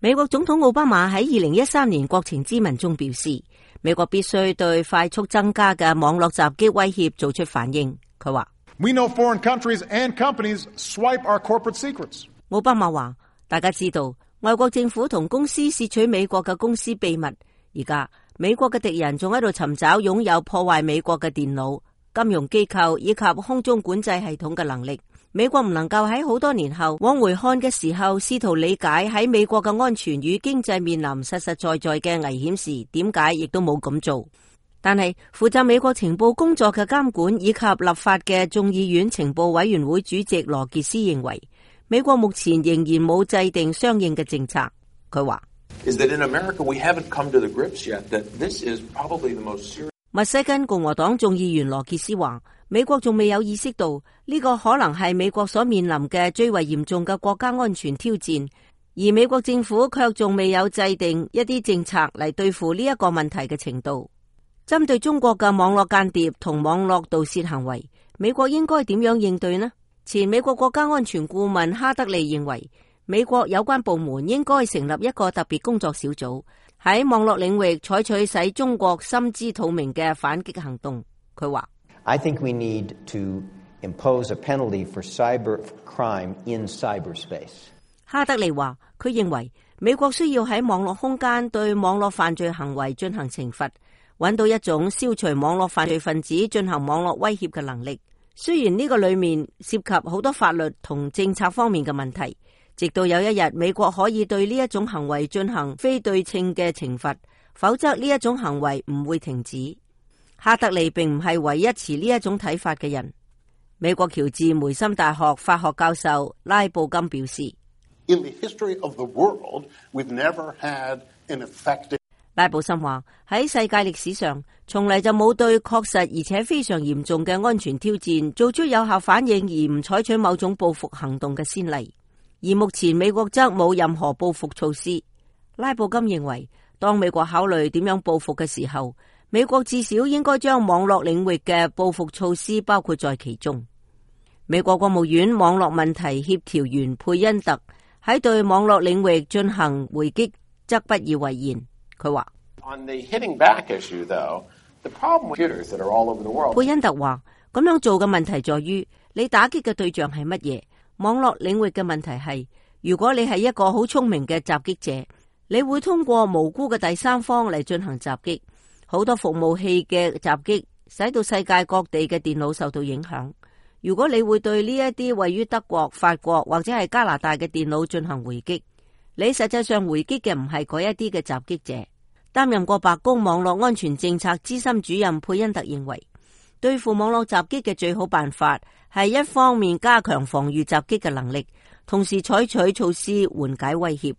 美國總統奧巴馬喺2013年國情咨文中表示，美國必須對快速增加嘅網絡襲擊威脅做出反應。佢話 We know foreign countries and companies swipe our corporate secrets. 奧巴馬話，大家知道外國政府同公司竊取美國嘅公司秘密，而家美國嘅敵人仲喺度尋找擁有破壞美國嘅電腦、金融機構以及空中管制系統嘅能力。美國唔能夠喺好多年後往回看嘅時候，試圖理解喺美國嘅安全與經濟面臨實實在在嘅危險時，點解亦都冇咁做。但係負責美國情報工作嘅監管以及立法嘅眾議院情報委員會主席羅傑斯認為，美國目前仍然冇制定相應嘅政策。佢話密西根共和黨眾議員羅傑斯話，美國仲未有意識到呢個可能係美國所面臨嘅最為嚴重嘅國家安全挑戰，而美國政府卻仲未有制定一啲政策嚟對付呢一個問題嘅程度。針對中國嘅網絡間諜同網絡盜竊行為，美國應該點樣應對呢？前美國國家安全顧問哈德利認為，美國有關部門應該成立一個特別工作小組，喺網絡領域採取使中國心知肚明嘅反擊行動。佢話 I think we need to impose a penalty for cyber crime in cyberspace. 哈德利話，佢認為美國需要喺網絡空間對網絡犯罪行為進行懲罰，揾到一種消除網絡犯罪分子進行網絡威脅嘅能力。雖然呢個裏面涉及好多法律同政策方面嘅問題，直到有一日美國可以對呢一種行為進行非對稱嘅懲罰，否則呢一種行為唔會停止。哈德利並唔係唯一持呢一種睇法嘅人。美國喬治梅森大學法學教授拉布金表示 In the history of the world, we've never had an effective... 拉布森話，喺世界歷史上從嚟就冇對確實而且非常嚴重嘅安全挑戰做出有效反應而唔採取某種報復行動嘅先例，而目前美國則冇任何報復措施。拉布金認為，當美國考慮點樣報復嘅時候，美國至少應該將網絡領域嘅報復措施包括在其中。美國國務院網絡問題協調員佩恩特喺對網絡領域進行回擊則不以為然。佢話佩恩特話，咁樣做嘅問題在於你打擊嘅對象係乜嘢。網絡領域嘅問題係，如果你係一個好聰明嘅襲擊者，你會通過無辜嘅第三方嚟進行襲擊。好多服務器嘅襲擊使到世界各地嘅電腦受到影響。如果你會對呢一啲位於德國、法國或者係加拿大嘅電腦進行回擊，你實際上回擊嘅唔係嗰一啲嘅襲擊者。擔任過白宮網絡安全政策資深主任佩恩特認為，對付網絡襲擊嘅最好辦法係一方面加強防禦襲擊嘅能力，同時採取措施緩解威脅。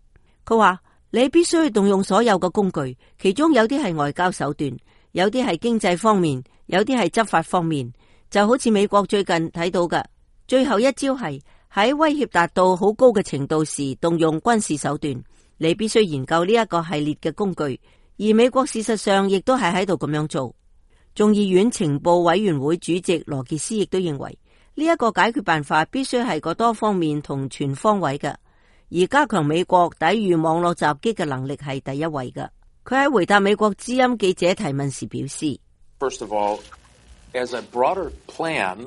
佢話，你必須動用所有嘅工具，其中有啲係外交手段，有啲係經濟方面，有啲係執法方面。就好似美國最近睇到嘅，最後一招係喺威脅達到好高嘅程度時動用軍事手段。你必須研究呢一個系列嘅工具，而美國事實上亦都係喺度咁樣做。眾議院情報委員會主席羅傑斯亦都認為，呢一個解決辦法必須係個多方面同全方位嘅，而加強美國抵禦網絡襲擊嘅能力係第一位嘅。佢喺回答美國之音記者提問時表示 First of all, as a broader plan,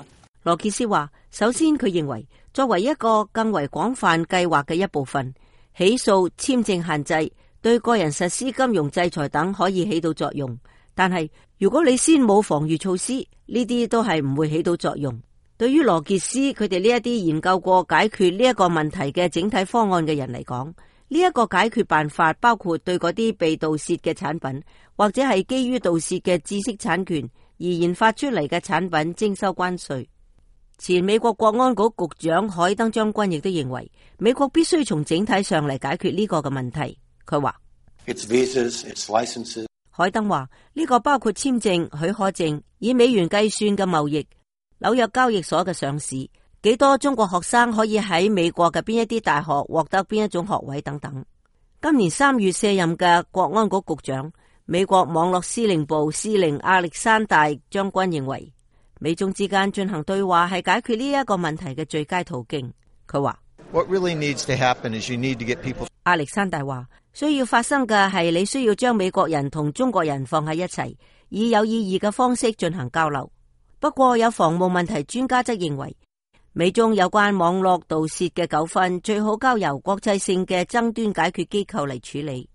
羅傑斯話，首先佢認為作為一個更為廣泛計劃嘅一部分，起訴、簽證限制、對個人實施金融制裁等可以起到作用，但係如果你先冇防禦措施，呢啲都係唔會起到作用。對於羅傑斯佢哋呢一啲研究過解決呢一個問題嘅整體方案嘅人嚟講，呢一個解決辦法包括對嗰啲被盜竊嘅產品或者係基於盜竊嘅知識產權而研發出嚟嘅產品徵收關稅。前美國國安局局長海登將軍亦都認為，美國必須從整體上嚟解決呢個嘅問題。佢話 its visas, its licenses. 海登話呢個包括簽證、許可證、以美元計算嘅貿易、紐約交易所嘅上市、幾多中國學生可以喺美國嘅邊一啲大學獲得邊一種學位等等。今年3月卸任嘅國安局局長、美國網絡司令部司令亞歷山大將軍認為，美中之間進行對話係解決呢一個問題嘅最佳途徑。佢話 What really needs to happen is you need to get people. 亞歷山大話，需要發生嘅係你需要將美國人同中國人放喺一齊，以有意義嘅方式進行交流。不過有防務問題專家則認為，美中有關網絡盜竊嘅糾紛最好交由國際性嘅爭端解決機構嚟處理。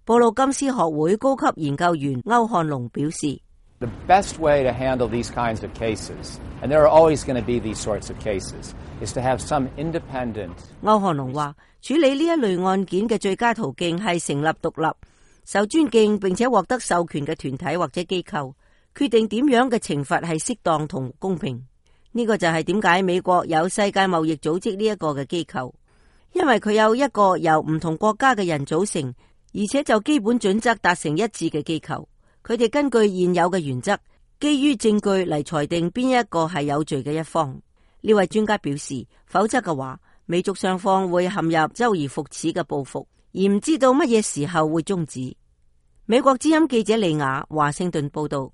布魯金斯學會高級研究員歐漢龍表示， The best way to handle these kinds of cases, and there are always going to be these sorts of cases, is to have some independent. 歐漢龍話，處理呢一類案件嘅最佳途徑係成立獨立、受尊敬並且獲得授權嘅團體或者機構，決定點樣嘅懲罰係適當同公平。呢個就係點解美國有世界貿易組織呢一個嘅機構，因為佢有一個由唔同國家嘅人組成，而且就基本準則達成一致嘅機構。佢哋根據現有嘅原則，基於證據嚟裁定邊一個係有罪嘅一方。呢位專家表示，否則嘅話，美中雙方會陷入周而復始嘅報復，而唔知道乜嘢時候會終止。美國之音記者利亞華盛頓報道。